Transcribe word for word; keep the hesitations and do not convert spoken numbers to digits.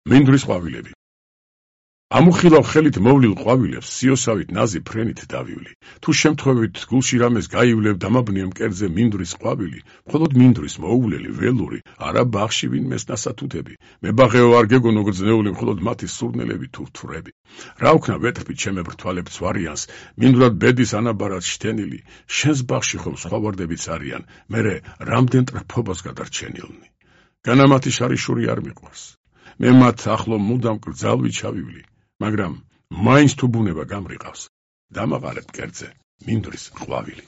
მინდვრის ყვავილები. ამუხილავ ხელით მოვლილ ყვავილებს სიოსავით ნაზი ფრენით დავივლი. თუ შემთხვევით გულში რამეს გაივლებ დამაბნია მკერდზე მინდვრის ყვავილი, მხოლოდ მინდვრის მოუვლელი, ველური, არა ბაღში ვინმეს ნასათუთები. მე ბაღეო არ გეგონო გრძნეული, მხოლოდ მათი სურნელები თუ თვრები. რა ვქნა ვეტრფი ჩემებ რთვალებს ვარიანს, მინდვრად ბედის ანაბარად შთენილი, შენს ბაღში ხომ სხვა ვარდებიც არიან, მერე რამდენ ტრფობას გადარჩენილნი. განამათი შარიშური არ მიყვარს. მე მათ ახლო მუდამ კრძალვი ჩავივლი. მაგრამ მაინც თუ ბუნება გამრიყავს, დამაყარებ მკერდზე მინდვრის ყვავილი.